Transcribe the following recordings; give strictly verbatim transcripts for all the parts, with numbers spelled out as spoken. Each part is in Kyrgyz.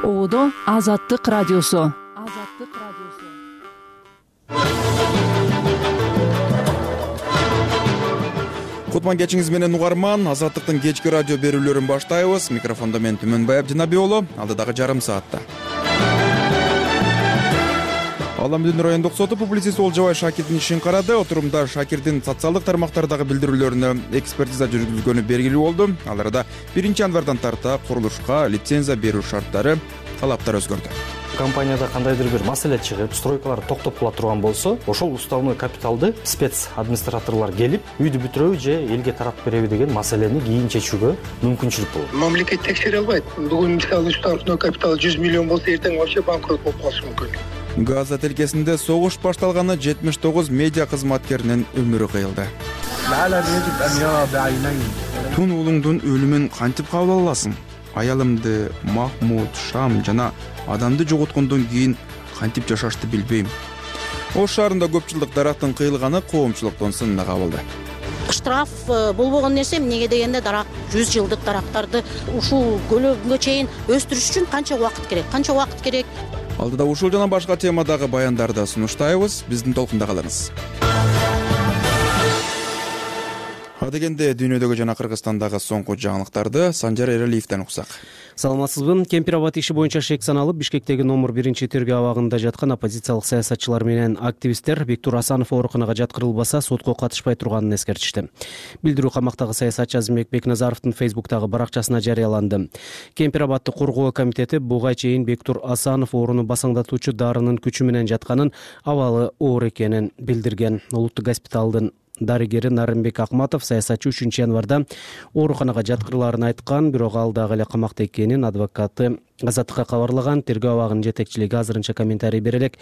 Оодо Азаттык радиосу. Азаттык радиосу. Кутман кечиңиз менен угарман. Азаттыктын кечки радио берүүлөрүн баштайбыз. Микрофондо мен Түмөнбай Абдинабий уулу. Алдыдагы жарым саатта Ала Элдин райондук соту публицист Олжобай Шакирдин ишин карады. Отурумда Шакирдин социалдык тармактардагы билдирүүлөрүнө экспертиза жүргүзүлгөнү белгилүү болду. Ал арада биринчи январдан тарта курулушка лицензия берүү шарттары, талаптар өзгөрдү. Компанияда кандайдыр бир маселе чыгып, стройкалар токтоп кала турган болсо, ошол уставной капиталды спец администраторлор келип, үйдү бүтүрөбү же элге таратып береби деген маселени кийин чечүүгө мүмкүнчүлүк болот. Мамлекет текшере албайт. Бүгүн мисалы уставной капитал жүз миллион болсо, эртең вообще банкрот болуп калышы мүмкүн. Газа тилкесинде согуш башталганы жетимиш тогуз медиа кызматкеринин өмүрү кыйылды. Тун уулуңдун өлүмүн кантип кабыл аласың? Аялымды, Махмуд, Шам жана адамды жоготкондон кийин кантип жашашты билбейм. Ош шаарында көп жылдык дарактын кыйылганы коомчулуктун сынына кабылды. Штраф болбогон нерсе эмнеге дегенде дарак жүз жылдык дарактарды ушул көлөгүнгө чейин өстүрүш үчүн канча убакыт керек? Канча убакыт керек? Алдыда ушул жана башка темадагы баяндарды сунуштайбыз. Биздин толкунда калыңыз. Адегенде дүйнөдөгү жана Кыргызстандагы соңку жаңылыктарды Санжар Эралиевден уксак. Саламатсызбы? Кемпир-Абад иши боюнча шек саналып, Бишкектеги номер биринчи тергөө абагында жаткан оппозициялык саясатчылар менен активисттер Бектур Асанов ооруканага жаткырылбаса сотко катышпай турганын эскертишти. Билдирүү камактагы саясатчы Азимбек Бекназаровдун Фейсбуктагы баракчасына жарыяланды. Кемпир-Абадды коргоо комитети буга чейин Бектур Асанов ооруну басаңдатуучу дарынын күчү менен жатканын, абалы оор экенин билдирген. Улуттук госпиталдын дарыгери Нарымбек Акматов саясатчы үчүнчү январда ооруканага жаткырыларын айткан, бирок ал дагы эле камакта экенин адвокаты Азаттыкка кабарлаган. Тергөө абагынын жетекчилиги азырынча комментарий бере элек.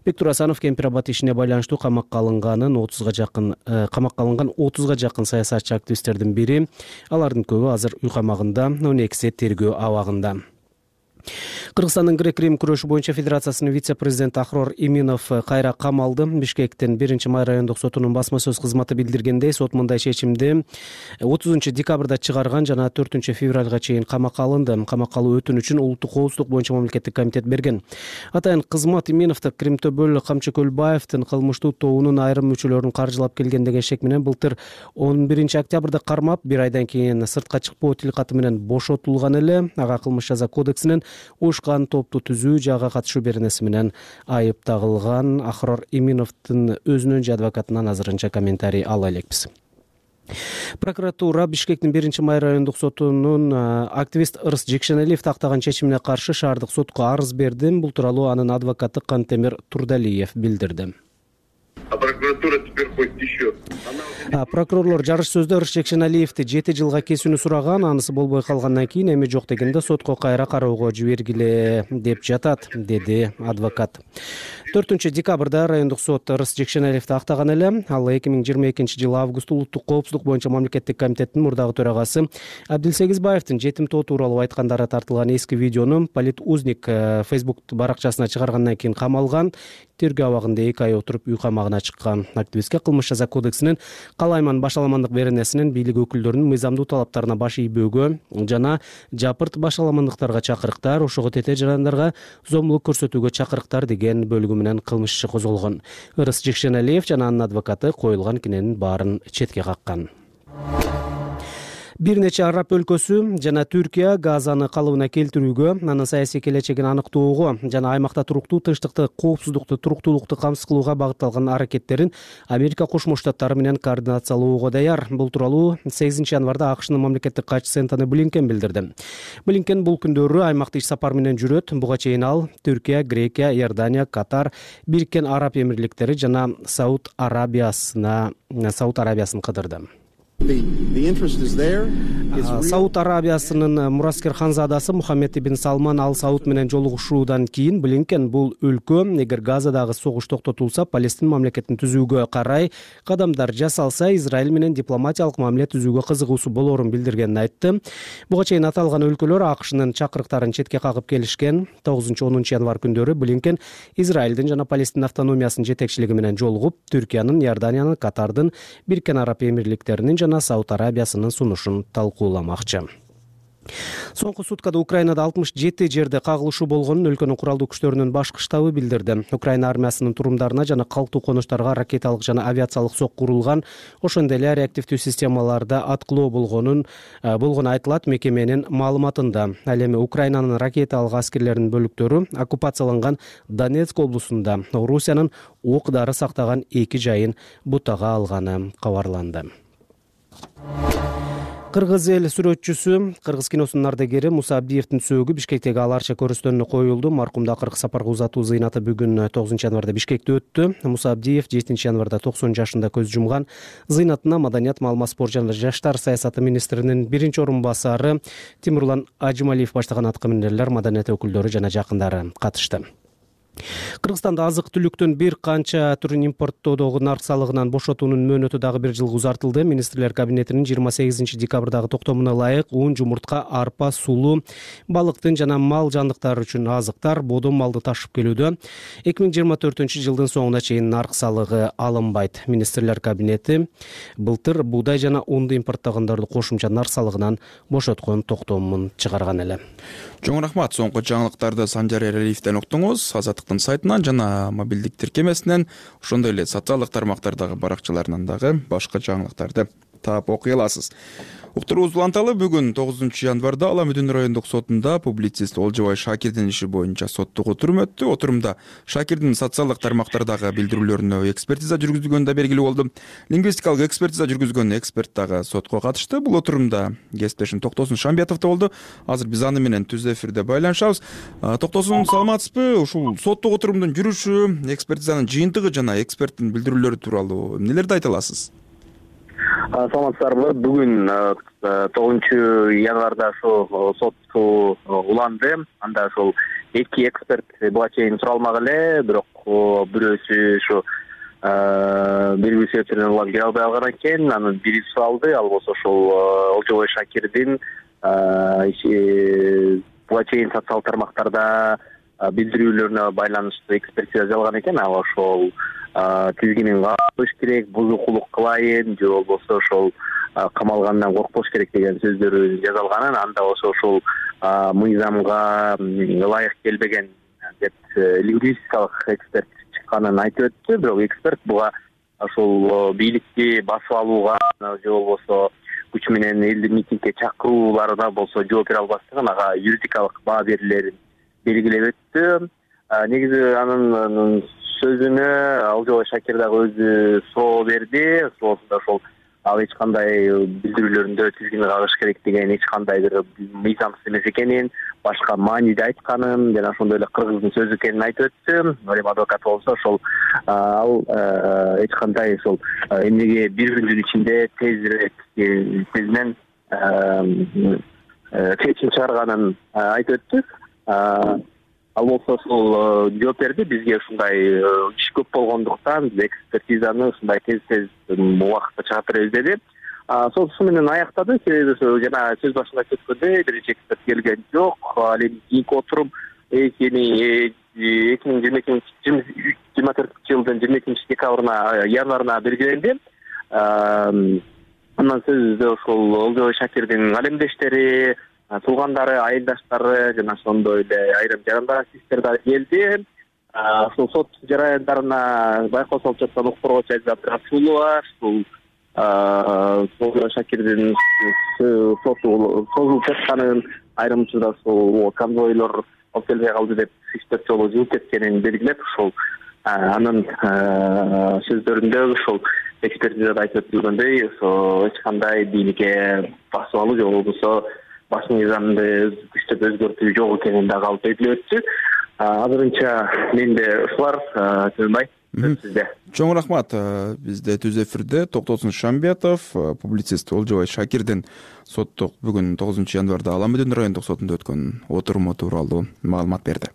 Бектур Асанов Кемпир-Абад ишине байланыштуу камакка алынганын отузга жакын камакка алынган отузга жакын саясатчы активисттердин бири. Алардын көбү азыр үй камагында, он экиси тергөө абагында. Кыргызстандын грек-рим күрөшү боюнча федерациясынын вице-президенти Ахрор Иминов кайра камалды. Бишкектин биринчи май райондук сотунун басма сөз кызматы билдиргендей, сот мындай чечимди отузунчу декабрда чыгарган жана төртүнчү февралга чейин камакка алынды. Камакка алуу өтүнүчүн улуттук коопсуздук боюнча мамлекеттик комитет берген. Атайын кызмат Иминовду Кримтобөл Камчыкөлбаевдин кылмыштуу тобунун айрым мүчөлөрүн каржылап келген деген шек менен былтыр он биринчи октябрда кармап, бир айдан кийин сыртка чыкпоо тилкаты менен бошотулган эле. Ага кылмыш жаза кодексинин уюшкан топту түзүү жага катышуу беренеси менен айып тагылган. Ахрор Иминовдун өзүнүн же адвокатынан азырынча комментарий ала элекпиз. Прокуратура Бишкектин биринчи май райондук сотунун активист Ырыс Жекшеналиев тактаган чечимине каршы шаардык сотко арыз берди. Бул тууралуу анын адвокаты Кантемир Турдалиев билдирди. А прокуратура теперь хочет еще. Прокурорлор жарыш сөздө Ырыс Жекшеналиевди жети жылга кесүүнү сураган. Анысы болбой калгандан кийин эми жок дегенде сотко кайра кароого жибергиле деп жатат, деди адвокат. төртүнчү декабрда райондук сот Ырыс Жекшеналиевди актаган эле. Ал эки миң жыйырма экинчи жылы август улуттук коопсуздук боюнча мамлекеттик комитеттин мурдагы төрагасы Абдилсегизбаевдин жетим тоо тууралуу айткандары тартылган эски видеону Политузник Facebook баракчасына чыгаргандан кийин камалган. Тергөө абагында эки ай отуруп үй камагына чыккан. Активистке кылмыш жаза кодексинин калайман башаламандык беренесинин бийлик өкүлдөрүнүн мыйзамдуу талаптарына баш ийбөөгө жана жапырт башаламандыктарга чакырыктар, ошого тете жарандарга зомбулук көрсөтүүгө чакырыктар деген бөлүгү менен кылмыш иши козголгон. Ырыс Жекшеналиев жана анын адвокаты коюлган киненин баарын четке каккан. Бир нече араб өлкөсү жана Түркия Газаны калыбына келтирүүгө, анын саясий келечегин аныктоого жана аймакта туруктуу тынчтыкты, коопсуздукту, туруктуулукту камсыз кылууга багытталган аракеттерин Америка Кошмо Штаттары менен координациялоого даяр. Бул тууралуу сегизинчи январда АКШнын мамлекеттик катчысы Энтони Блинкен билдирди. Блинкен бул күндөрү аймакта иш сапар менен жүрөт. Буга чейин ал Түркия, Грекия, Иордания, Катар, Бириккен Араб Эмирликтери жана Сауд Арабиясына Сауд Арабиясын кыдырды. Сауд Арабиясынын мураскер ханзадасы Мухаммед ибн Салман Ал Сауд менен жолугушуудан кийин Блинкен бул өлкө эгер Газадагы согуш токтотулса, Палестин мамлекетин түзүүгө карай кадамдар жасалса, Израиль менен дипломатиялык мамиле түзүүгө кызыгуусу болорун билдиргенин айтты. Буга чейин аталган өлкөлөр АКШнын чакырыктарын четке кагып келишкен. тогузунчу онунчу январ күндөрү Блинкен Израилдин жана Палестин автономиясынын жетекчилиги менен жолугуп, Түркиянын, Иорданиянын, Катардын, Бириккен Араб Эмирликтеринин жана Сауд Арабиясынын сунушун талкууламакчы. Соңку суткада Украинада алтымыш жети жерде кагылышуу болгонун өлкөнүн куралдуу күчтөрүнүн башкы штабы билдирди. Украина армиясынын турумдарына жана калктуу конуштарга ракеталык жана авиациялык сокку урулган, ошондой эле реактивдүү системаларда аткылоо болгонун болгону айтылат мекеменин маалыматында. Ал эми Украинанын ракеталык аскерлеринин бөлүктөрү оккупацияланган Донецк облусунда Орусиянын ок-дары сактаган эки жайын бутага алганы кабарланды. Кыргыз эл сүрөтчүсү, кыргыз киносунун ардагери Муса Абдиевдин сөөгү Бишкектеги Ал Арча көрүстөнүнө коюлду. Маркумду акыркы сапарга узатуу зыйнаты бүгүн тогузунчу январда Бишкекте өттү. Муса Абдиев жетинчи январда токсон жашында көз жумган. Зыйнатына Маданият, маалымат, спорт жана жаштар саясаты министринин биринчи орун басары Тимурлан Ажималиев баштаган аткаминерлер, маданият өкүлдөрү жана жакындары катышты. Кыргызстанда азык-түлүктүн бир канча түрүн импорттоодогу нарк салыгынан бошотуунун мөөнөтү дагы бир жылга узартылды. Министрлер кабинетинин жыйырма сегизинчи декабрдагы токтомуна ылайык ун, жумуртка, арпа, сулуу, балыктын жана мал жандыктары үчүн азыктар, бодом малды ташып келүүдө эки миң жыйырма төртүнчү жылдын соңуна чейин нарк салыгы алынбайт. Министрлер кабинети былтыр буудай жана унду импорттогондорду кошумча нарк салыгынан бошоткон токтомун чыгарган эле. Чоң рахмат. Соңку жаңылыктарды Санжар Эралиевден уктуңуз. Азаттыктын сайтынан жана мобилдик тиркемесинен, ошондой эле социалдык тармактардагы баракчаларынан дагы башка жаңылыктарды таап окуй аласыз. Уктуруубузду уланталы. Бүгүн тогузунчу январда Ала Мүдүн райондук сотунда публицист Олжобай Шакирдин иши боюнча соттук отурум өттү. Отурумда Шакирдин социалдык тармактардагы билдирүүлөрүнө экспертиза жүргүзүлгөнү да белгилүү болду. Лингвистикалык экспертиза жүргүзгөн эксперт дагы сотко катышты. Бул отурумда кесиптешим Токтосун Шамбетов да болду. Азыр биз аны менен түз эфирде байланышабыз. Токтосун, саламатсызбы? Ушул соттук отурумдун жүрүшү, экспертизанын жыйынтыгы жана эксперттин билдирүүлөрү тууралуу эмнелерди айта аласыз? Саламатсыздарбы? Бүгүн тогузунчу январда ошо сот уланды. Анда ошол эки эксперт буга чейин суралмак эле, бирок бирөөсү ошо белгилүү себептерден улам келе албай калган экен. Анын бири суралды, ал болсо ошол Олжобай Шакирдин буга чейин социалдык тармактарда билдирүүлөрүнө байланыштуу экспертиза жалган экен. Ал ошол тизгинин кабыш керек, бузукулук кылайын же болбосо ошол камалгандан коркпош керек деген сөздөрү жазалганын, анда болсо ошол мыйзамга ылайык келбеген деп лингвистикалык эксперт чыкканын айтып өттү. Бирок эксперт буга ошол бийликти басып алууга же болбосо күч менен элди митингге чакырууларына болсо жооп бере албастыгын, ага юридикалык баа берилерин белгилеп өттү. Негизи анын сөзүнө Олжобай Шакир дагы өзү соо берди. Соосунда ошол ал эч кандай билдирүүлөрүндө тизгини кагыш керек деген эч кандай бир мыйзамсыз эмес экенин, башка мааниде айтканын жана ошондой эле кыргыздын сөзү экенин айтып өттү. Эми адвокат болсо ошол ал эч кандай ошол эмнеге бир күндүн ичинде тезирээк тезинен чечим чыгарганын айтып өттү. Ал болсо ошол жооп берди. Бизге ушундай иш көп болгондуктан биз экспертизаны ушундай тез-тез убакытта чыгарып беребиз деди. Сот ушу менен аяктады. Себеби жана сөз башында айткандай биринчи эксперт келген жок. Ал эми кийинки отурум эки миң жыйырма төртүнчү жылдын жыйырма экинчи декабрына январына белгиленди. Андан сөзүбүздө ошол Олжобай Шакирдин алемдештери, туугандары, айылдаштары жана ошондой эле айрым жарандар активисттер да келди. Ошол сот жараяндарына байкоо салып жаткан укук коргоочу Айзат Расулова, ушул Олжобай Шакирдин соту созулуп жатканын, айрым учурда ошол конвойлор алып келбей калды деп үч төрт жолу жылып кеткенин белгилеп, ошол анын сөздөрүндө ошол экспертизада айтып өтүлгөндөй, ошо эч кандай бийликке басып алуу же болбосо баш мыйзамды күчтөп өзгөртүү жок экенин дагы алып белгилеп өттү. Азырынча менде ушулар, Төлөнбай, сизде. Чоң рахмат. Бизде түз эфирде Токтосун Шамбетов, публицист Олжобай Шакирдин соттук бүгүн тогузунчу январда Ала Мүдүн райондук сотунда өткөн отуруму тууралуу маалымат берди.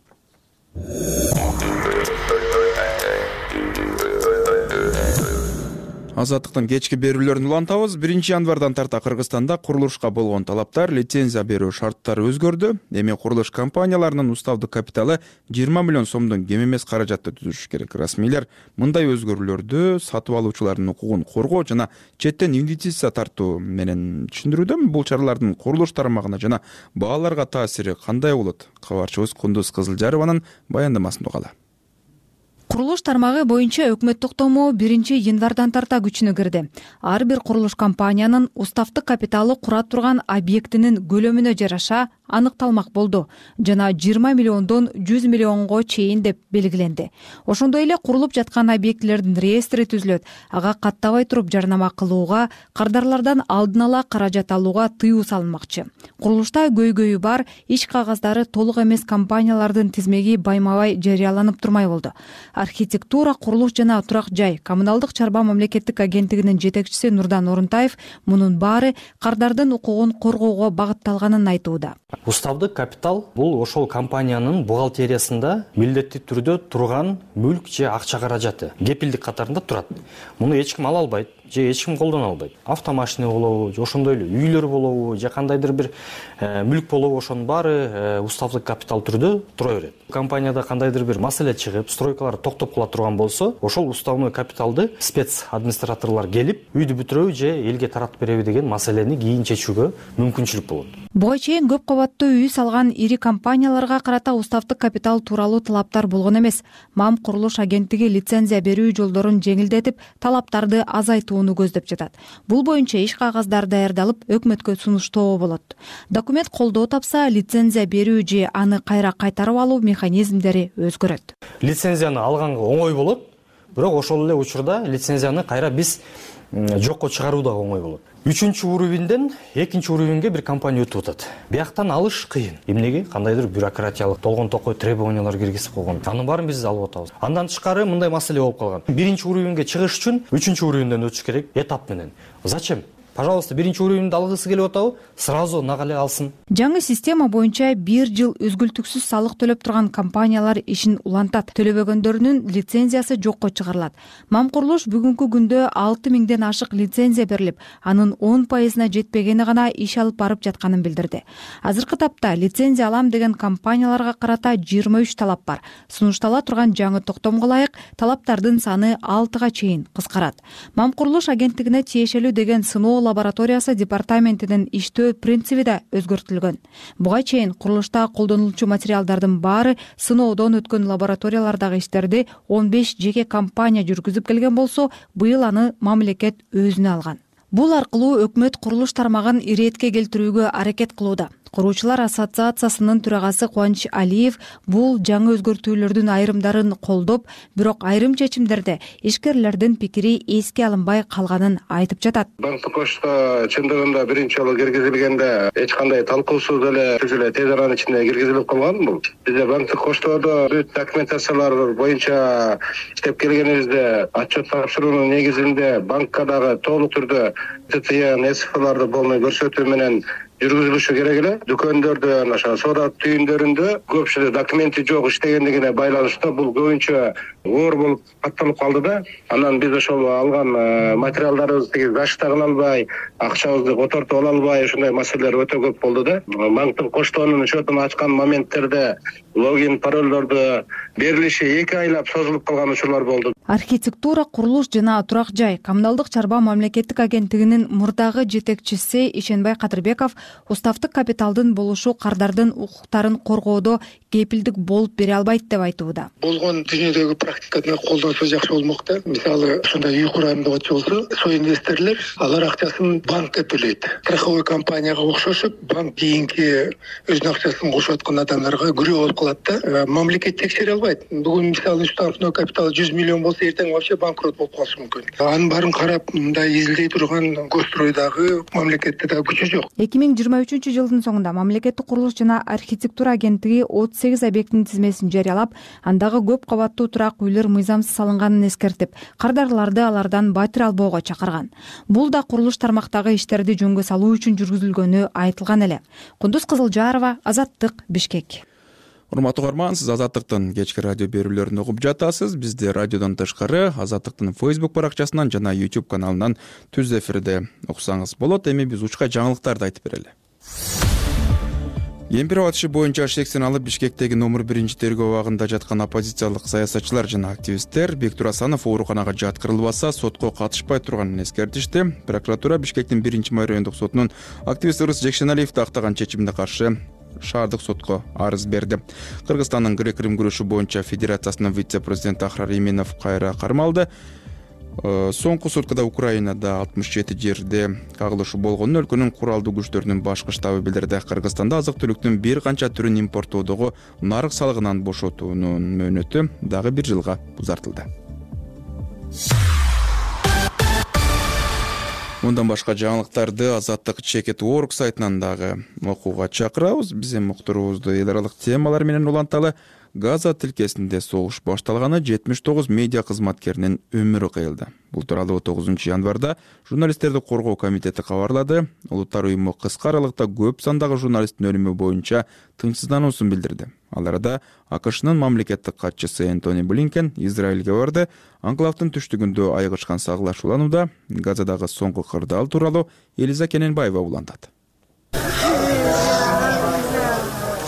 Азаттыктын кечки берүүлөрүн улантабыз. биринчи январдан тарта Кыргызстанда курулушка болгон талаптар, лицензия берүү шарттары өзгөрдү. Эми курулуш компанияларынын уставдык капиталы жыйырма миллион сомдон кем эмес каражатты түзүш керек. Расмийлер мындай өзгөрүүлөрдү сатып алуучулардын укугун коргоо жана четтен инвестиция тартуу менен түшүндүрүүдө. Бул чаралардын курулуш тармагына жана бааларга таасири кандай болот? Кабарчыбыз Кундуз Кызылжарованын баяндамасын угалы. Курулуш тармагы боюнча өкмөт токтому биринчи январдан тарта күчүнө кирди. Ар бир курулуш компаниянын уставдык капиталы кура турган объектинин көлөмүнө жараша аныкталмак болду жана жыйырма миллиондон жүз миллионго чейин деп белгиленди. Ошондой эле курулуп жаткан объектилердин реестри түзүлөт. Ага каттабай туруп жарнама кылууга, кардарлардан алдын ала каражат алууга тыюу салынмакчы. Курулушта көйгөйү бар, иш кагаздары толук эмес компаниялардын тизмеги байма-бай жарыяланып турмай болду. Архитектура, курулуш жана турак жай коммуналдык чарба мамлекеттик агенттигинин жетекчиси Нурдан Орунтаев мунун баары кардардын укугун коргоого багытталганын айтууда. Уставдык капитал бул ошол компаниянын бухгалтериясында милдеттүү түрдө турган мүлк же акча каражаты кепилдик катарында турат. Муну эч ким ала албайт же эч ким колдоно албайт. Автомашина болобу, же ошондой эле үйлөр болобу, же кандайдыр бир мүлк болобу, ошонун баары уставдык капитал түрдө тура берет. Компанияда кандайдыр бир маселе чыгып, стройкалар токтоп кала турган болсо, ошол уставной капиталды спец администраторлор келип, үйдү бүтүрөбү же элге таратып береби деген маселени кийин чечүүгө мүмкүнчүлүк болот. Буга чейин көп кабаттуу үй салган ири компанияларга карата уставдык капитал тууралуу талаптар болгон эмес. МАМ курулуш агенттиги лицензия берүү жолдорун жеңилдетип, талаптарды азайтууну көздөп жатат. Бул боюнча иш кагаздар даярдалып, өкмөткө сунуштоо болот. Документ колдоо тапса, лицензия берүү же аны кайра кайтарып алуу механизмдери өзгөрөт. Лицензияны алганга оңой болот, бирок ошол эле учурда лицензияны кайра биз жокко чыгаруу да оңой болот. Үчүнчү уровеньден экинчи уровеньге бир компания өтүп атат. Бияктан алыш кыйын. Эмнеге? Кандайдыр бюрократиялык толгон токой требованиялар киргизип койгон. Анын баарын биз алып атабыз. Андан тышкары мындай маселе болуп калган. Биринчи уровеньге чыгыш үчүн үчүнчү уровеньден өтүш керек этап менен. Зачем? Пожалуйста, биринчи уровеньди алгысы келип атабы? Сразу нага эле алсын. Жаңы система боюнча бир жыл үзгүлтүксүз салык төлөп турган компаниялар ишин улантат. Төлөбөгөндөрүнүн лицензиясы жокко чыгарылат. МАМ курулуш бүгүнкү күндө алты миңден ашык лицензия берилип, анын он пайызына жетпегени гана иш алып барып жатканын билдирди. Азыркы тапта лицензия алам деген компанияларга карата жыйырма үч талап бар. Сунуштала турган жаңы токтомго ылайык талаптардын саны алтыга чейин кыскарат. МАМ курулуш агенттигине тиешелүү деген сыноо лабораториясы департаментинин иштөө принциби да өзгөртүлгөн. Буга чейин курулушта колдонулчу материалдардын баары сыноодон өткөн лабораториялардагы иштерди он беш жеке компания жүргүзүп келген болсо, быйыл аны мамлекет өзүнө алган. Бул аркылуу өкмөт курулуш тармагын иретке келтирүүгө аракет кылууда. Куруучулар ассоциациясынын төрагасы Кубаныч Алиев бул жаңы өзгөртүүлөрдүн айрымдарын колдоп, бирок айрым чечимдерде ишкерлердин пикири эске алынбай калганын айтып жатат. Банктык кошто чындыгында биринчи жолу киргизилгенде эч кандай талкуусуз эле түз эле тез аранын ичинде киргизилип калган бул. Бизде банктык коштодо бүт документациялар боюнча иштеп келгенибизде отчет тапшыруунун негизинде банкка дагы толук түрдө ТЦЯ, ЭСФларды полный көрсөтүү менен жүргүзүлүшү керек эле. Дүкөндөрдө, ошо соода түйүндөрүндө көпчүлүк документи жок иштегендигине байланыштуу бул көбүнчө оор болуп катталып калды да. Анан биз ошол алган материалдарыбызды гашта кыла албай, акчабызды котортуп ала албай, ошондой маселелер өтө көп болду да. Банктык коштонун счетун ачкан моменттерде логин, паролдорду берилиши эки айлап созулуп калган учурлар болду. Архитектура, курулуш жана турак жай коммуналдык чарба мамлекеттик агенттигинин мурдагы жетекчиси Ишенбай Кадырбеков уставдык капиталдын болушу кардардын укуктарын коргоодо кепилдик болуп бере албайт деп айтууда. Болгон дүйнөдөгү практиканы колдонсо жакшы болмок да. Мисалы, ушундай үй курам деп болсо, со инвесторлор алар акчасын банкка төлөйт. Страховой компанияга окшошуп, банк кийинки өзүнүн акчасын кошуп аткан адамдарга күрөө болуп калат да. Мамлекет текшере албайт. Бүгүн мисалы уставной капитал жүз миллион болсо, эртең вообще банкрот болуп калышы мүмкүн. Анын баарын карап, мындай изилдей турган Госстройдагы мамлекетте да күчү жок. эки миң жыйырма үчүнчү жылдын соңунда мамлекеттик курулуш жана архитектура агенттиги отуз сегиз объектинин тизмесин жарыялап, андагы көп кабаттуу турак үйлөр мыйзамсыз салынганын эскертип, кардарларды алардан батир албоого чакырган. Бул да курулуш тармактагы иштерди жөнгө салуу үчүн жүргүзүлгөнү айтылган эле. Кундуз Кызылжарова, Азаттык, Бишкек. Урматтуу угарман, сиз Азаттыктын кечки радио берүүлөрүн угуп жатасыз. Бизди радиодон тышкары Азаттыктын Facebook баракчасынан жана YouTube каналынан түз эфирде уксаңыз болот. Эми биз учка жаңылыктарды айтып берели. Кемпирова иши боюнча шексин алып Бишкектеги номер биринчи тергөө абагында жаткан оппозициялык саясатчылар жана активисттер Бектур Асанов ооруканага жаткырылбаса сотко катышпай турганын эскертишти. Прокуратура Бишкектин биринчи май райондук сотунун активист Ырыс Жекшеналиевди актаган чечимине каршы шаардык сотко арыз берди. Кыргызстандын грек-рим күрөшү боюнча федерациясынын вице-президенти Ахрар Именов кайра кармалды. Соңку суткада Украинада алтымыш жети жерде кагылышы болгонун өлкөнүн куралдуу күчтөрүнүн башкы штабы билдирди. Кыргызстанда азык-түлүктүн бир канча түрүн импорттоодогу нарык салыгынан бошотуунун мөөнөтү дагы бир жылга узартылды. Мындан башка жаңылыктарды Азаттык Чекет Орг сайтынан дагы окууга чакырабыз. Биз эми уктуруубузду эл аралык темалар менен уланталы. Газа тилкесинде согуш башталганы жетимиш тогуз медиа кызматкеринин өмүрү кыйылды. Бул тууралуу тогузунчу январда журналисттерди коргоо комитети кабарлады. Улуттар уюму кыска аралыкта көп сандагы журналисттин өлүмү боюнча тынчсыздануусун билдирди. Ал арада АКШнын мамлекеттик катчысы Энтони Блинкен Израилге барды. Анклавдын түштүгүндө айыгышкан саглашууланууда Газадагы соңку кырдаал тууралуу Элиза Кененбаева улантат.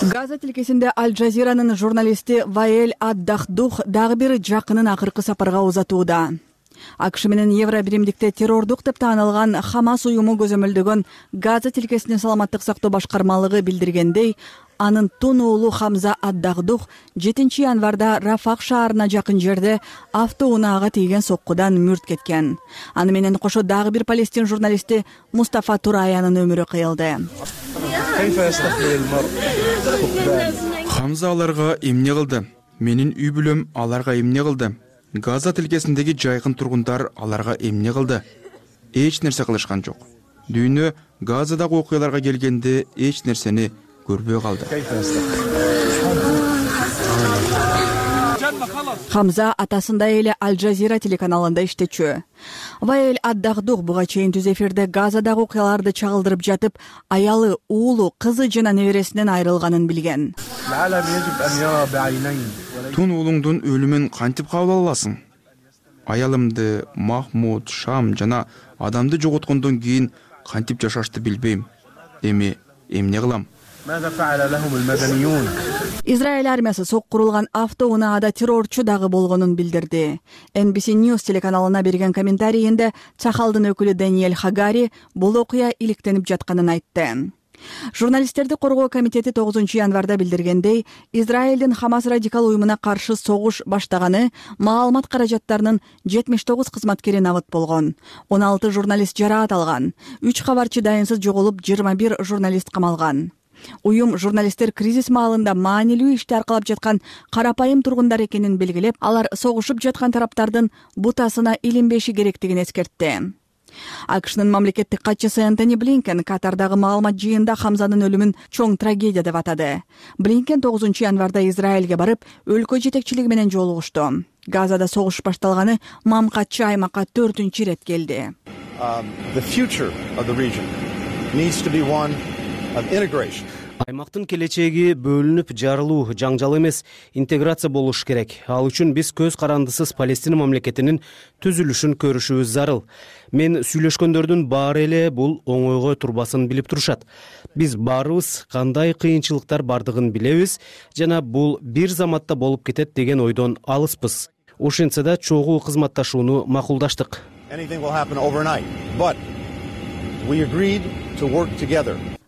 Газа тилкесинде Аль-Джазиранын журналисти Ваэль ад-Дахдух дагы бир жакынын акыркы сапарга узатууда. АКШ менен Евро биримдикте террордук деп таанылган Хамас уюму көзөмөлдөгөн Газа тилкесинин саламаттык сактоо башкармалыгы билдиргендей, анын тун уулу Хамза ад-Дахдух жетинчи январда Рафах шаарына жакын жерде автоунаага тийген соккудан мүрт кеткен. Аны менен кошо дагы бир палестин журналисти Мустафа Тураянын өмүрү кыйылды. Хамза аларга эмне кылды? Менин үй бүлөм аларга эмне кылды? Газа тилкесиндеги жайкын тургундар аларга эмне кылды? Эч нерсе кылышкан жок. Дүйнө Газадагы окуяларга келгенде эч нерсени көрбөй калды. Хамза атасындай эле Аль-Джазира телеканалында иштечү. Ваэль ад-Дахдух буга чейин түз эфирде Газадагы окуяларды чагылдырып жатып, аялы, уулу, кызы жана небересинен айрылганын билген. Тун уулуңдун өлүмүн кантип кабыл аласың? Аялымды, Махмуд, Шам жана адамды жоготкондон кийин кантип жашашты билбейм. Эми эмне кылам? Израиль армиясы соккурулган автоунаада террорчу дагы болгонун билдирди. Эн Би Си News телеканалына берген комментарийинде Чахалдын өкүлү Даниэль Хагари бул окуя иликтенип жатканын айтты. Журналисттерди коргоо комитети тогузунчу январда билдиргендей, Израилдин Хамас радикал уюмуна каршы согуш баштаганы маалымат каражаттарынын жетимиш тогуз кызматкери набыт болгон. он алты журналист жараат алган. үч кабарчы дайынсыз жоголуп, жыйырма бир журналист камалган. Уюм журналисттер кризис маалында маанилүү ишти аркалап жаткан карапайым тургундар экенин белгилеп, алар согушуп жаткан тараптардын бутасына илинбеши керектигин эскертти. АКШнын мамлекеттик катчысы Энтони Блинкен Катардагы маалымат жыйында Хамзанын өлүмүн чоң трагедия деп атады. Блинкен тогузунчу январда Израилге барып, өлкө жетекчилиги менен жолугушту. Газада согуш башталганы мамкатчы аймакка төртүнчү ирет келди. Аймактын келечеги бөлүнүп жарылуу, жаңжал эмес, интеграция болуш керек. Ал үчүн биз көз карандысыз Палестина мамлекетинин түзүлүшүн көрүшүбүз зарыл. Мен сүйлөшкөндөрдүн баары эле бул оңойго турбасын билип турушат. Биз баарыбыз кандай кыйынчылыктар бардыгын билебиз жана бул бир заматта болуп кетет деген ойдон алыспыз. Ошентсе да чогуу кызматташууну макулдаштык.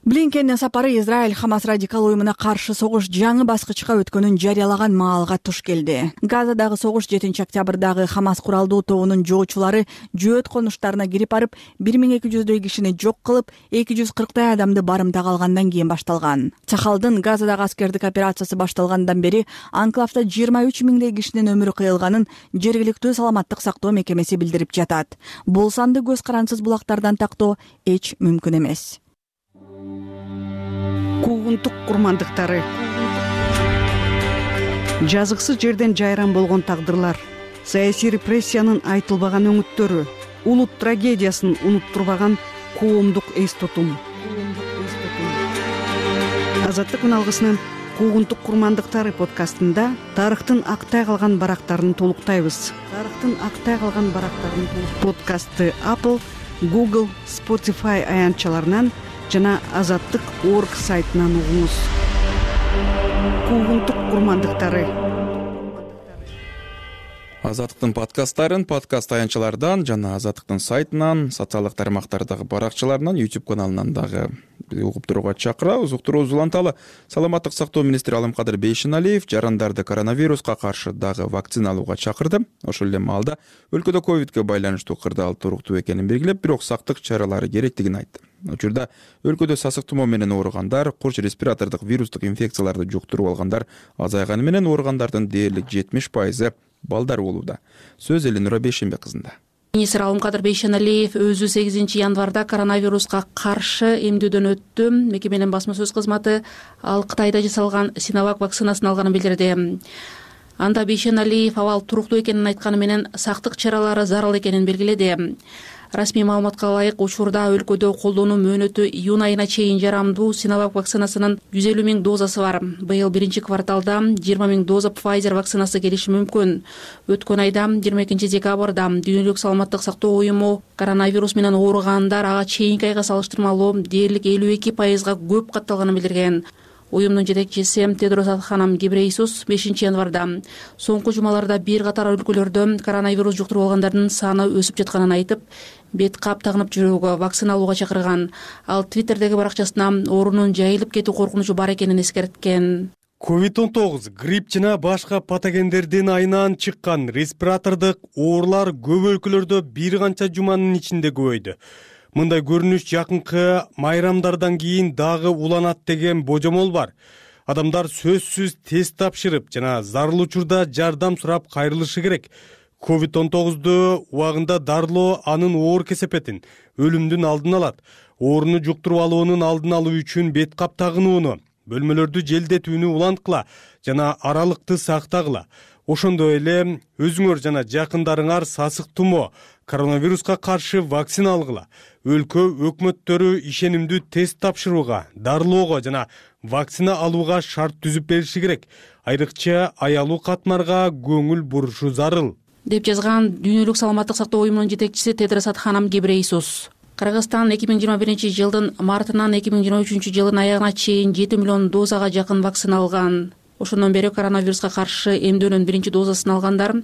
Блинкендин сапары Израиль Хамас радикал уюмуна каршы согуш жаңы баскычка өткөнүн жарыялаган маалга туш келди. Газадагы согуш жетинчи октябрдагы Хамас куралдуу тобунун жоочулары жөөт конуштарына кирип барып, бир миң эки жүздөй кишини жок кылып, эки жүз кырктай адамды барымтага алгандан кийин башталган. Чахалдын Газадагы аскердик операциясы башталгандан бери анклавда жыйырма үч миңдей кишинин өмүрү кыйылганын жергиликтүү саламаттык сактоо мекемеси билдирип жатат. Бул санды көз карансыз булактардан тактоо эч мүмкүн эмес. Куугунтук курмандыктары, жазыксыз жерден жайран болгон тагдырлар, саясий репрессиянын айтылбаган өңүттөрү, улут трагедиясын унуттурбаган коомдук эс тутум. Азаттык үн алгысынын Куугунтук курмандыктары подкастында тарыхтын актай калган барактарын толуктайбыз. Тарыхтын актай калган барактарын подкастты Apple, Google, Spotify аянтчаларынан жана азаттык точка орг сайтынан угуңуз. Куугунтук курмандыктары. Азаттыктын подкасттарын подкаст аянтчалардан жана Азаттыктын сайтынан, социалдык тармактардагы баракчаларынан, YouTube каналынан дагы угуп турууга чакырабыз. Уктуруубуз уланталы. Саламаттык сактоо министри Алымкадыр Бейшеналиев жарандарды коронавируска каршы дагы вакцина алууга чакырды. Ошол эле маалда өлкөдө ковидке байланыштуу кырдаал туруктуу экенин белгилеп, бирок сактык чаралары керектигин айтты. Учурда өлкөдө сасык тумоо менен ооругандар, курч респиратордук вирустук инфекцияларды жуктуруп алгандар азайганы менен ооругандардын дээрлик жетимиш пайызы балдар болууда. Сөз Эленура Бейшенбек кызында. Министр Алымкадыр Бейшеналиев өзү сегизинчи январда коронавируска каршы эмдөөдөн өттү. Мекеменин басма сөз кызматы ал Кытайда жасалган Синовак вакцинасын алганын билдирди. Анда Бейшеналиев абал туруктуу экенин айтканы менен сактык чаралары зарыл экенин белгиледи. Расмий маалыматка ылайык, учурда өлкөдө колдонуу мөөнөтү июнь айына чейин жарамдуу Синовак вакцинасынын жүз элүү миң дозасы бар. Быйыл биринчи кварталда жыйырма миң доза Pfizer вакцинасы келиши мүмкүн. Өткөн айда жыйырма экинчи декабрда Дүйнөлүк саламаттык сактоо уюму коронавирус менен ооругандар ага чейинки айга салыштырмалуу дээрлик элүү эки пайызга көп катталганын билдирген. Уюмдун жетекчиси Тедрос Адханам Гебрейсус бешинчи январда соңку жумаларда бир катар өлкөлөрдө коронавирус жуктуруп алгандардын саны өсүп жатканын айтып, бет кап тагынып жүрүүгө, вакцина алууга чакырган. Ал Твиттердеги баракчасына оорунун жайылып кетүү коркунучу бар экенин эскерткен. ковид он тогуз, грипп жана башка патогендердин айынан чыккан респиратордук оорулар көп өлкөлөрдө бир канча жуманын ичинде көбөйдү. Мындай көрүнүш жакынкы майрамдардан кийин дагы уланат деген божомол бар. Адамдар сөзсүз тест тапшырып жана зарыл учурда жардам сурап кайрылышы керек. ковид он тогузду убагында дарылоо анын оор кесепетин, өлүмдүн алдын алат. Ооруну жуктуруп алуунун алдын алуу үчүн бет кап тагынууну, бөлмөлөрдү желдетүүнү уланткыла жана аралыкты сактагыла. Ошондой эле өзүңөр жана жакындарыңар сасык тумоо, коронавируска каршы вакцина алгыла. Өлкө өкмөттөрү ишенимдүү тест тапшырууга, дарылоого жана вакцина алууга шарт түзүп бериши керек. Айрыкча аялуу катмарга көңүл бурушу зарыл, деп жазган Дүйнөлүк саламаттык сактоо уюмунун жетекчиси Тедрос Адханам Гебрейсус. Кыргызстан эки миң жыйырма биринчи жылдын мартынан эки миң жыйырма үчүнчү жылдын аягына чейин жети миллион дозага жакын вакцина алган. Ошондон бери коронавируска каршы эмдөөнүн биринчи дозасын алгандар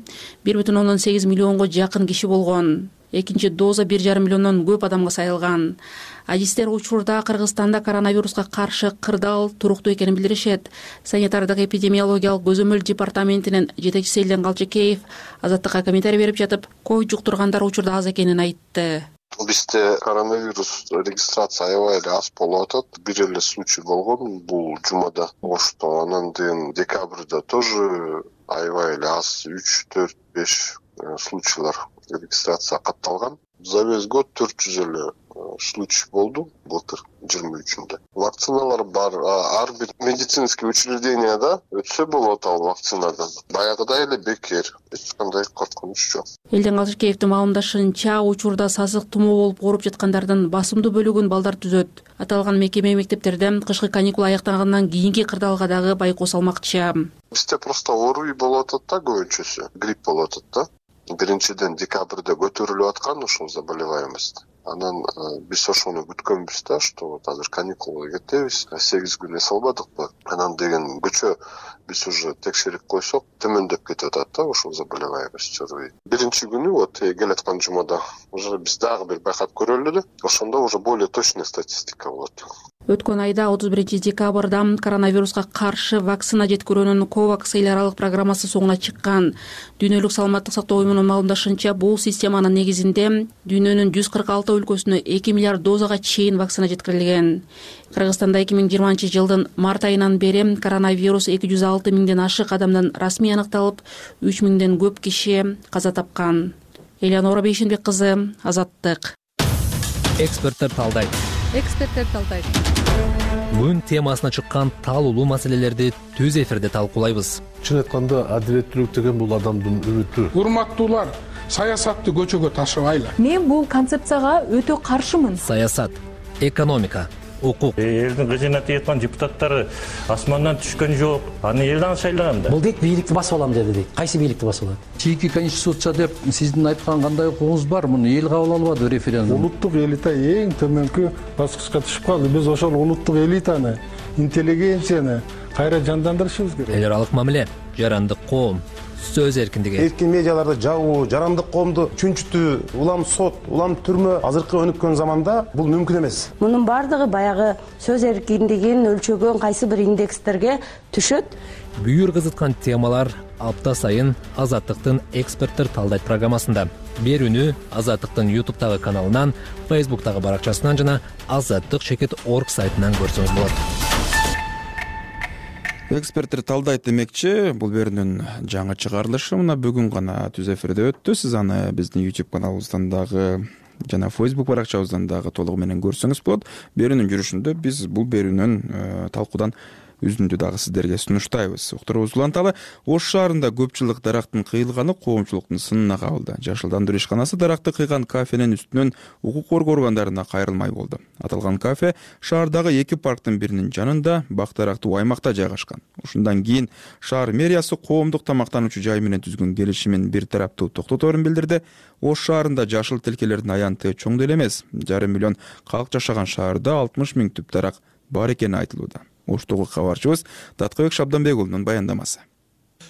бир бүтүн ондон сегиз миллионго жакын киши болгон. Экинчи доза бир жарым миллиондон көп адамга сайылган. Адистер учурда Кыргызстанда коронавируска каршы кырдаал туруктуу экенин билдиришет. Санитардык эпидемиологиялык көзөмөл департаментинин жетекчиси Элден Калчыкеев Азаттыкка комментарий берип жатып, ковид жуктургандар учурда аз экенин айтты. Бизде коронавирус регистрация аябай эле аз болуп атат. Бир эле случай болгон бул жумада. Ошто анан кийин декабрда тоже аябай эле аз үч төрт беш случайлар регистрация катталган. За весь год төрт жүз эле случай болду былтыр жыйырма үчүндө. Вакциналар бар, ар бир медицинский учрежденияда өтсө болот ал вакцинадан. Баягыдай эле бекер, эч кандай коркунуч жок. Элден Калчыкеевдин маалымдашынча, учурда сасык тумоо болуп ооруп жаткандардын басымдуу бөлүгүн балдар түзөт. Аталган мекеме мектептерде кышкы каникул аяктагандан кийинки кырдаалга дагы байкоо салмакчы. Бизде просто ОРВИ болуп атат да, көбүнчөсү грипп болуп атат да. Биринчиден декабрда көтөрүлүп аткан ушул заболеваемость. Анан биз ошону күткөнбүз да, что вот азыр каникулга кетебиз, сегиз күн эс албадыкпы. Анан деген көчө биз уже текшерип койсок, төмөндөп кетип атат да ушул заболеваемость. Биринчи күнү вот келаткан жумада уже биз дагы бир байкап көрөлү да, ошондо уже более точный статистика болот. Өткөн айда отуз биринчи декабрда коронавируска каршы вакцина жеткирүүнүн ковакс эл аралык программасы соңуна чыккан. Дүйнөлүк саламаттык сактоо уюмунун маалымдашынча, бул системанын негизинде дүйнөнүн жүз кырк алты өлкөсүнө эки миллиард дозага чейин вакцина жеткирилген. Кыргызстанда эки миң жыйырманчы жылдын март айынан бери коронавирус эки жүз алты миңден ашык адамдан расмий аныкталып, үч миңден көп киши каза тапкан. Эленура Бейшенбек кызы, Азаттык. Эксперттер талдайт. Эксперттер талдайт. Бүгүн темасына чыккан таалуулуу маселелерди түз эфирде талкуулайбыз. Чын айтканда, адилеттүүлүк деген бул адамдын үмүтү. Урматтуулар, саясатты көчөгө ташыбайлы. Мен бул концепцияга өтө каршымын. Саясат, экономика, укук. Элдин кыжына тийип аткан депутаттары асмандан түшкөн жок. Аны эл дагы шайлаган да. Бул дейт бийликти басып алам деди дейт. Кайсы бийликти басып алат? чийинки конституция деп сиздин айткан кандай укугуңуз бар? Муну эл кабыл албады референдум. Улуттук элита эң төмөнкү баскычка түшүп калды. Биз ошол улуттук элитаны, интеллигенцияны кайра жандандырышыбыз керек. Эл аралык мамиле, жарандык коом, сөз эркиндиги. Эркин медиаларды жабуу, жарандык коомду чүнчүтүү, улам сот, улам түрмө азыркы өнүккөн заманда бул мүмкүн эмес. Мунун бардыгы баягы сөз эркиндигин өлчөгөн кайсы бир индекстерге түшөт. Бүйүр кызыткан темалар апта сайын Азаттыктын эксперттер талдайт программасында. Берүүнү Азаттыктын ютубтагы каналынан, фейсбуктагы баракчасынан жана азаттык чекит точка орг сайтынан көрсөңүз болот. Эксперттер талдайт демекчи, бул берүүнүн жаңы чыгарылышы мына бүгүн гана түз эфирде өттү. Сиз аны биздин YouTube каналыбыздан дагы жана Facebook баракчабыздан дагы толугу менен көрсөңүз болот. Берүүнүн жүрүшүндө биз бул берүүнүн талкуудан үзүндү дагы сиздерге сунуштайбыз. Уктуруубуз уланталы. Ош шаарында көп жылдык дарактын кыйылганы коомчулуктун сынына кабылды. Жашылдандыруу ишканасы даракты кыйган кафенин үстүнөн укук коргоо органдарына кайрылмай болду. Аталган кафе шаардагы эки парктын биринин жанында, бак дарактуу аймакта жайгашкан. Ушундан кийин шаар мэриясы коомдук тамактануучу жай менен түзгөн келишимин бир тараптуу токтоторун билдирди. Ош шаарында жашыл тилкелердин аянты чоң деле эмес. Жарым миллион калк жашаган шаарда алтымыш миң түп дарак бар экени айтылууда. Оштогу кабарчыбыз Таткыбек Шабданбек уулунун баяндамасы.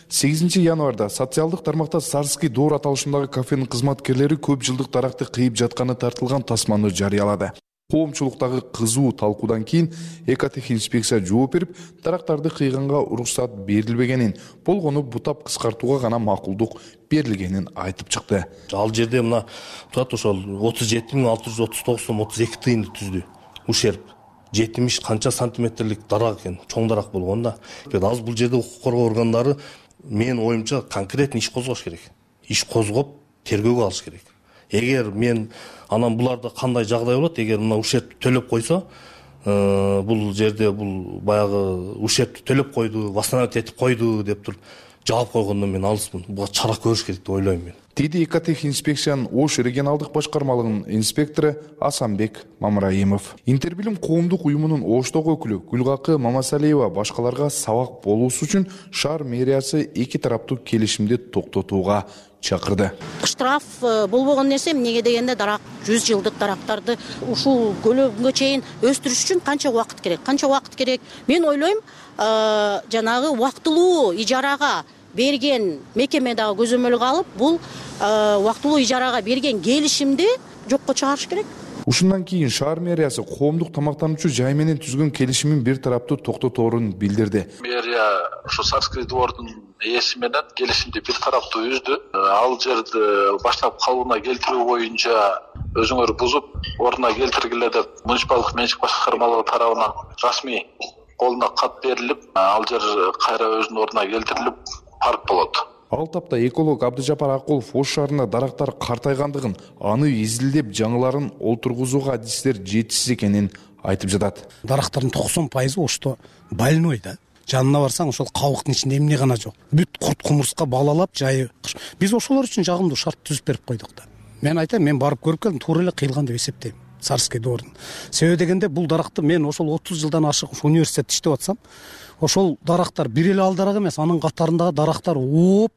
сегизинчи январда социалдык тармакта Сарский доор аталышындагы кафенин кызматкерлери көп жылдык даракты кыйып жатканы тартылган тасманы жарыялады. Коомчулуктагы кызуу талкуудан кийин экотехинспекция жооп берип, дарактарды кыйганга уруксат берилбегенин, болгону бутап кыскартууга гана макулдук берилгенин айтып чыкты. Ал жерде мына турат ошол отуз жети миң алты жүз отуз тогуз сом отуз эки тыйынды түздү. Ушерп жетимиш канча сантиметрлик дарак экен, чоң дарак болгон да. Азыр бул жерде укук коргоо органдары менин оюмча конкретный иш козгош керек. Иш козгоп, тергөөгө алыш керек. Эгер мен анан буларда кандай жагдай болот, эгер мына ушерп төлөп койсо, бул жерде бул баягы ушерп төлөп койду, восстановить этип койду деп туруп жаап койгондон мен алыспын. Буга чара көрүш керек деп ойлойм мен. Деди экотехинспекциянын Ош регионалдык башкармалыгынын инспектору Асанбек Мамраимов. Интербилим коомдук уюмунун Оштогу өкүлү Гүлгакы Мамасалиева башкаларга сабак болуусу үчүн шаар мэриясы эки тараптуу келишимди токтотууга чакырды. Штраф болбогон нерсе эмнеге дегенде дарак жүз жылдык дарактарды ушул көлөгөнгө чейин өстүрүш үчүн канча убакыт керек? Канча убакыт керек? Мен ойлойм, жанагы убактылуу ижарага берген мекеме дагы көзөмөлгө алып, бул убактылуу ижарага берген келишимди жокко чыгарыш керек. Ушундан кийин шаар мэриясы коомдук тамактануучу жай менен түзгөн келишимин бир тараптуу токтоторун билдирди. Мэрия ушу Сарский двордун ээси менен келишимди бир тараптуу үздү. Ал жерди баштап калыбына келтирүү боюнча өзүңөр бузуп, ордуна келтиргиле деп муниципалдык менчик башкармалыгы тарабынан расмий колуна кат берилип, ал жер кайра өзүнүн ордуна келтирилип парк болот. Ал тапта эколог Абдыжапар Акулов Ош шаарында дарактар картайгандыгын, аны изилдеп жаңыларын олтургузууга адистер жетишсиз экенин айтып жатат. Дарактардын токсон пайызы Ошто больной да. Жанына барсаң, ошол кабыктын ичинде эмне гана жок. Бүт курт кумурска балалап жайы. Биз ошолор үчүн жагымдуу шарт түзүп берип койдук да. Мен айтайм, мен барып көрүп келдим, туура эле кыйылган деп эсептейм. Сарский дордун. Себеби дегенде бул даракты мен ошол отуз жылдан ашык университетте иштеп атсам, ошол дарактар бир эле ал дарак эмес, анын катарындагы дарактар ооп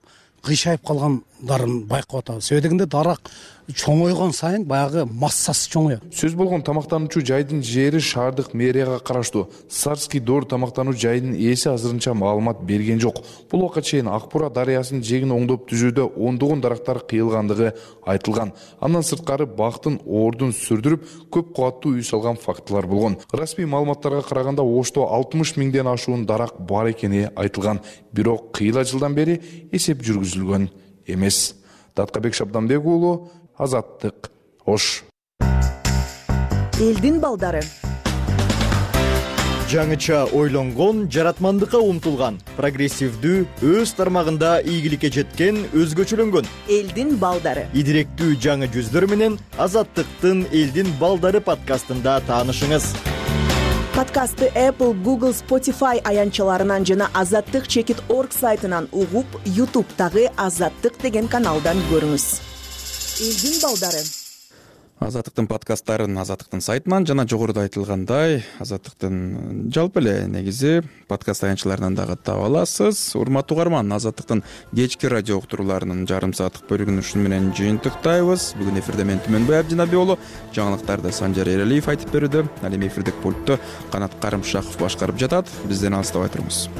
кыйшайып калгандарын байкап атабыз. Себеби дегенде дарак чоңойгон сайын баягы массасы чоңоет. Сөз болгон тамактануучу жайдын жери шаардык мэрияга караштуу. Сарский доор тамактануу жайдын ээси азырынча маалымат берген жок. Бул убакка чейин Акбура дарыясынын жегин оңдоп түзүүдө ондогон дарактар кыйылгандыгы айтылган. Андан сырткары бактын ордун сүрдүрүп, көп кубаттуу үй салган фактылар болгон. Расмий маалыматтарга караганда Ошто алтымыш миңден ашуун дарак бар экени айтылган. Бирок кыйла жылдан бери эсеп жүргүзүлгөн эмес. Таткыбек Шабданбек уулу, Азаттык, Ош. Элдин балдары. Жаңыча ойлонгон, жаратмандыкка умтулган, прогрессивдүү, өз тармагында ийгиликке жеткен, өзгөчөлөнгөн. Элдин балдары. Идиректүү жаңы жүздөр менен Азаттыктын Элдин балдары подкастында таанышыңыз. Подкастты Apple, Google, Spotify аянтчаларынан жана азаттык чекит точка орг сайтынан угуп, YouTube'тагы Азаттык деген каналдан көрүңүз. Элдин балдары. Азаттыктын подкасттарын Азаттыктын сайтынан жана жогоруда айтылгандай Азаттыктын жалпы эле негизи подкаст аянтчаларынан дагы таба аласыз. Урматтуу угарман, Азаттыктын кечки радио уктурууларынын жарым сааттык бөлүгүн ушуну менен жыйынтыктайбыз. Бүгүн эфирде мен Түмөнбай Абдинабий уулу, жаңылыктарды Санжар Эралиев айтып берүүдө, ал эми эфирдик пультту Канат Карымшаков башкарып жатат. Бизден алыстабай туруңуз.